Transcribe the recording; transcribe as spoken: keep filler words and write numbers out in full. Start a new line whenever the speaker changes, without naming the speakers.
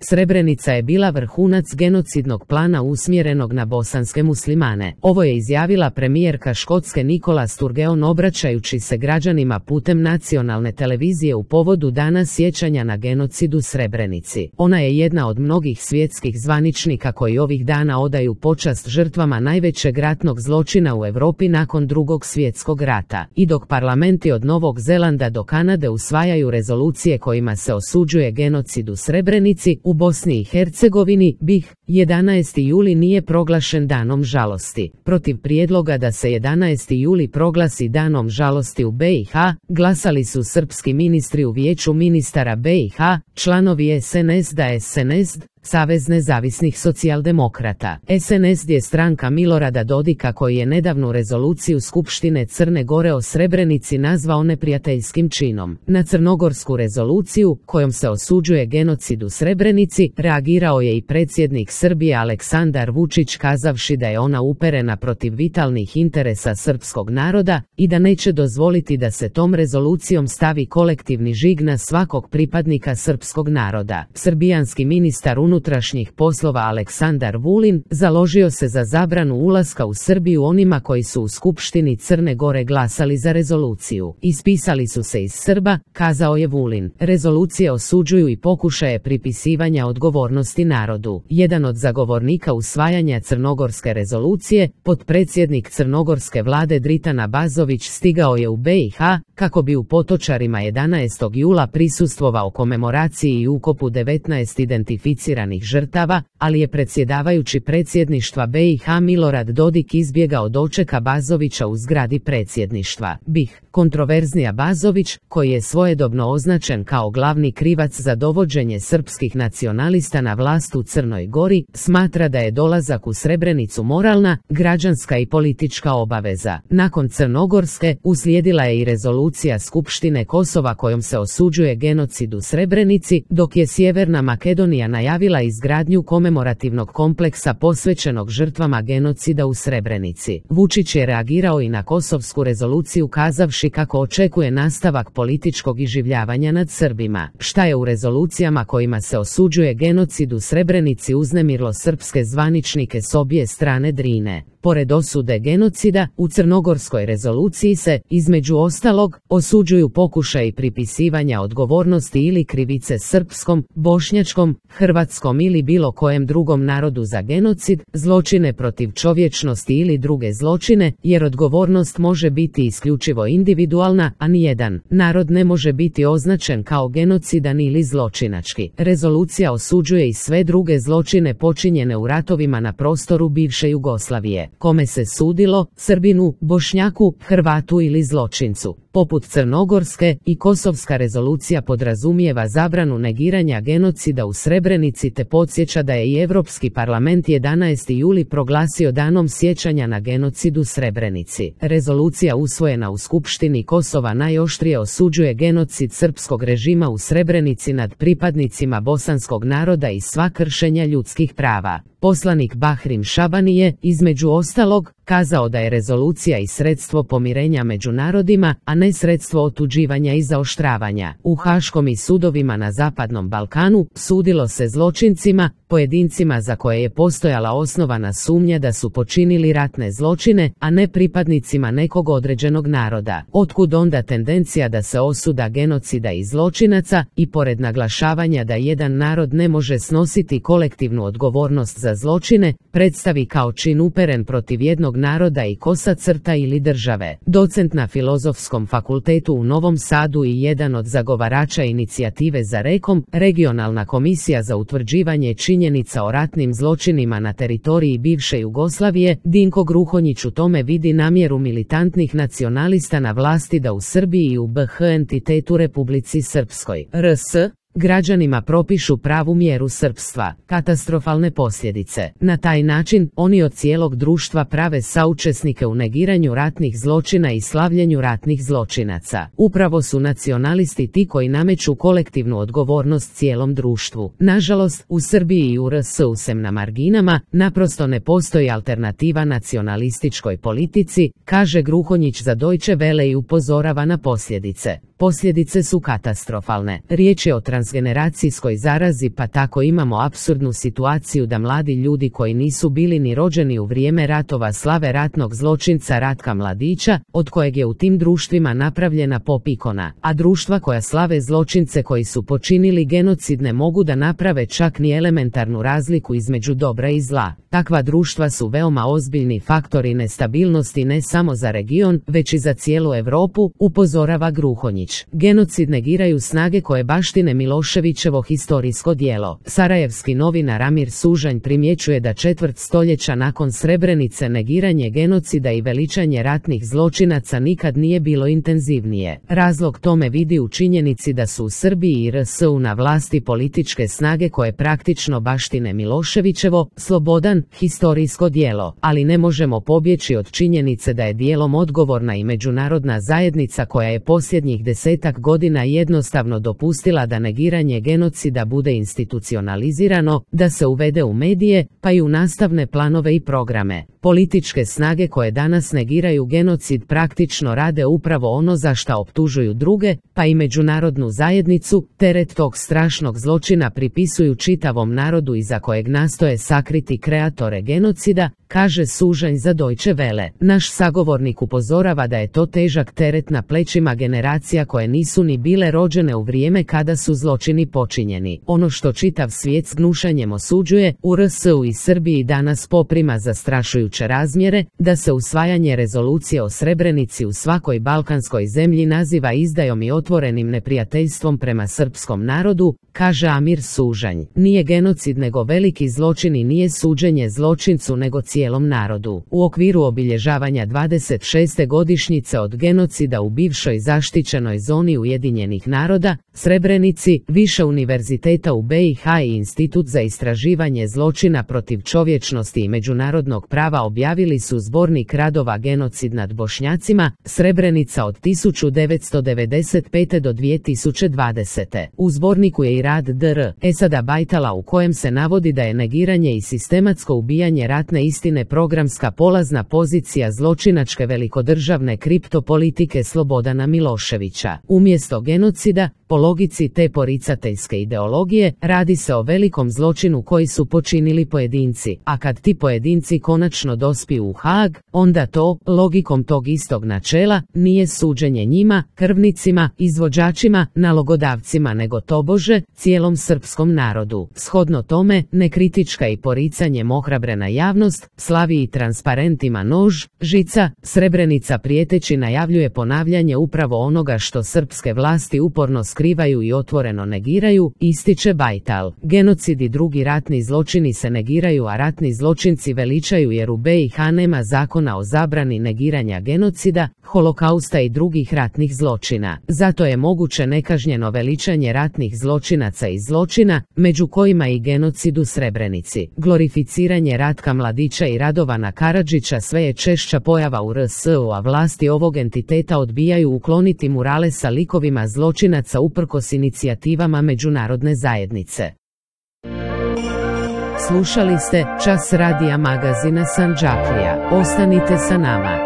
Srebrenica je bila vrhunac genocidnog plana usmjerenog na bosanske muslimane. Ovo je izjavila premijerka Škotske Nicola Sturgeon obraćajući se građanima putem nacionalne televizije u povodu Dana sjećanja na genocid u Srebrenici. Ona je jedna od mnogih svjetskih zvaničnika koji ovih dana odaju počast žrtvama najvećeg ratnog zločina u Europi nakon Drugog svjetskog rata. I dok parlamenti od Novog Zelanda do Kanade usvajaju rezolucije kojima se osuđuje genocid u Srebrenici, u Bosni i Hercegovini, B i H, jedanaesti juli nije proglašen danom žalosti. Protiv prijedloga da se jedanaesti juli proglasi danom žalosti u B i H, glasali su srpski ministri u Vijeću ministara B i H, članovi S N S D A S N S D, Savez nezavisnih socijaldemokrata. S N S D je stranka Milorada Dodika koji je nedavnu rezoluciju Skupštine Crne Gore o Srebrenici nazvao neprijateljskim činom. Na crnogorsku rezoluciju, kojom se osuđuje genocid u Srebrenici, reagirao je i predsjednik Srbije Aleksandar Vučić kazavši da je ona uperena protiv vitalnih interesa srpskog naroda i da neće dozvoliti da se tom rezolucijom stavi kolektivni žig na svakog pripadnika srpskog naroda. Srbijanski ministar unutrašnjih poslova Aleksandar Vulin založio se za zabranu ulaska u Srbiju onima koji su u Skupštini Crne Gore glasali za rezoluciju. Ispisali su se iz Srba, kazao je Vulin. Rezolucije osuđuju i pokušaje pripisivanja odgovornosti narodu. Jedan od zagovornika usvajanja crnogorske rezolucije, potpredsjednik crnogorske vlade Dritan Abazović, stigao je u B i H kako bi u Potočarima jedanaestog jula prisustvovao komemoraciji i ukopu devetnaest identificiranih žrtava, ali je predsjedavajući predsjedništva B i H Milorad Dodik izbjegao doček Abazovića u zgradi predsjedništva. B i H, kontroverzni Abazović, koji je svojedobno označen kao glavni krivac za dovođenje srpskih nacionalista na vlast u Crnoj Gori, smatra da je dolazak u Srebrenicu moralna, građanska i politička obaveza. Nakon crnogorske, uslijedila je i rezolucija Skupštine Kosova kojom se osuđuje genocid u Srebrenici, dok je Sjeverna Makedonija najavila izgradnju komemorativnog kompleksa posvećenog žrtvama genocida u Srebrenici. Vučić je reagirao i na kosovsku rezoluciju kazavši kako očekuje nastavak političkog iživljavanja nad Srbima. Šta je u rezolucijama kojima se osuđuje genocid u Srebrenici uznemirilo srpske zvaničnike s obje strane Drine? Pored osude genocida, u crnogorskoj rezoluciji se, između ostalog, osuđuju pokušaji pripisivanja odgovornosti ili krivice srpskom, bošnjačkom, hrvatskom ili bilo kojem drugom narodu za genocid, zločine protiv čovječnosti ili druge zločine, jer odgovornost može biti isključivo individualna, a nijedan narod ne može biti označen kao genocidan ili zločinački. Rezolucija osuđuje i sve druge zločine počinjene u ratovima na prostoru bivše Jugoslavije. Kome se sudilo, Srbinu, Bošnjaku, Hrvatu ili zločincu. Poput crnogorske, i kosovska rezolucija podrazumijeva zabranu negiranja genocida u Srebrenici te podsjeća da je i Europski parlament jedanaesti juli proglasio danom sjećanja na genocid u Srebrenici. Rezolucija usvojena u Skupštini Kosova najoštrije osuđuje genocid srpskog režima u Srebrenici nad pripadnicima bosanskog naroda i sva kršenja ljudskih prava. Poslanik Bahrim Šabani je, između ostalog, kazao da je rezolucija i sredstvo pomirenja među narodima, a ne sredstvo otuđivanja i zaoštravanja. U Haškom i sudovima na Zapadnom Balkanu sudilo se zločincima, pojedincima za koje je postojala osnovana sumnja da su počinili ratne zločine, a ne pripadnicima nekog određenog naroda. Otkud onda tendencija da se osuda genocida i zločinaca, i pored naglašavanja da jedan narod ne može snositi kolektivnu odgovornost za zločine, predstavi kao čin uperen protiv jednog naroda i kosa crta ili države. Docent na Filozofskom fakultetu u Novom Sadu i jedan od zagovarača inicijative za rekom, Regionalna komisija za utvrđivanje činjenica o ratnim zločinima na teritoriji bivše Jugoslavije, Dinko Gruhonjić u tome vidi namjeru militantnih nacionalista na vlasti da u Srbiji i u B H entitetu Republici Srpskoj, R S, građanima propišu pravu mjeru srpstva, katastrofalne posljedice. Na taj način, oni od cijelog društva prave saučesnike u negiranju ratnih zločina i slavljenju ratnih zločinaca. Upravo su nacionalisti ti koji nameću kolektivnu odgovornost cijelom društvu. Nažalost, u Srbiji i u R S sem na marginama, naprosto ne postoji alternativa nacionalističkoj politici, kaže Gruhonjić za Deutsche Welle i upozorava na posljedice. posljedice su katastrofalne. Riječ je o transgeneracijskoj zarazi, pa tako imamo apsurdnu situaciju da mladi ljudi koji nisu bili ni rođeni u vrijeme ratova slave ratnog zločinca Ratka Mladića, od kojeg je u tim društvima napravljena pop ikona, a društva koja slave zločince koji su počinili genocid ne mogu da naprave čak ni elementarnu razliku između dobra i zla. Takva društva su veoma ozbiljni faktori nestabilnosti ne samo za region, već i za cijelu Europu, upozorava Gruhonjić. Genocid negiraju snage koje baštine Miloševićevo historijsko djelo. Sarajevski novinar Amir Sužanj primjećuje da četvrt stoljeća nakon Srebrenice negiranje genocida i veličanje ratnih zločinaca nikad nije bilo intenzivnije. Razlog tome vidi u činjenici da su u Srbiji i R S U na vlasti političke snage koje praktično baštine Miloševićevo, slobodan, historijsko djelo, ali ne možemo pobjeći od činjenice da je dijelom odgovorna i međunarodna zajednica koja je posljednjih desetak godina jednostavno dopustila da negiranje genocida bude institucionalizirano, da se uvede u medije, pa i u nastavne planove i programe. Političke snage koje danas negiraju genocid praktično rade upravo ono za šta optužuju druge, pa i međunarodnu zajednicu, teret tog strašnog zločina pripisuju čitavom narodu iza kojeg nastoje sakriti kreatore genocida, kaže Sužanj za Deutsche Welle. Naš sagovornik upozorava da je to težak teret na plećima generacija koje nisu ni bile rođene u vrijeme kada su zločini počinjeni. Ono što čitav svijet s gnušanjem osuđuje, u R S U i Srbiji danas poprima zastrašujuće razmjere, da se usvajanje rezolucije o Srebrenici u svakoj balkanskoj zemlji naziva izdajom i otvorenim neprijateljstvom prema srpskom narodu, kaže Amir Sužanj. Nije genocid nego veliki zločin i nije suđenje zločincu nego cijelom narodu. U okviru obilježavanja dvadeset šeste godišnjice od genocida u bivšoj zaštićenoj zoni Ujedinjenih naroda, Srebrenici, više univerziteta u B i H i Institut za istraživanje zločina protiv čovječnosti i međunarodnog prava objavili su zbornik radova Genocid nad Bošnjacima, Srebrenica od tisuću devetsto devedeset pete do dvije tisuće dvadesete. U zborniku je i rad dr. Esada Bajtala u kojem se navodi da je negiranje i sistematsko ubijanje ratne istine programska polazna pozicija zločinačke velikodržavne kriptopolitike Slobodana Miloševića. Umjesto genocida, po logici te poricateljske ideologije, radi se o velikom zločinu koji su počinili pojedinci, a kad ti pojedinci konačno dospiju u Haag, onda to, logikom tog istog načela, nije suđenje njima, krvnicima, izvođačima, nalogodavcima nego tobože, cijelom srpskom narodu. Shodno tome, nekritička i poricanjem ohrabrena javnost, slavi i transparentima nož, žica, Srebrenica prijeteći najavljuje ponavljanje upravo onoga što srpske vlasti uporno skrivaju i otvoreno negiraju, ističe Bajtal. Genocid i drugi ratni zločini se negiraju, a ratni zločinci veličaju jer u B i H nema zakona o zabrani negiranja genocida, holokausta i drugih ratnih zločina. Zato je moguće nekažnjeno veličanje ratnih zločinaca i zločina, među kojima i genocid u Srebrenici. Glorificiranje Ratka Mladića i Radovana Karadžića sve je češća pojava u R S U, a vlasti ovog entiteta odbijaju ukloniti murale sa likovima zločinaca uprkos inicijativama međunarodne zajednice. Slušali ste Čas radija magazina Sandžaklija. Ostanite sa nama.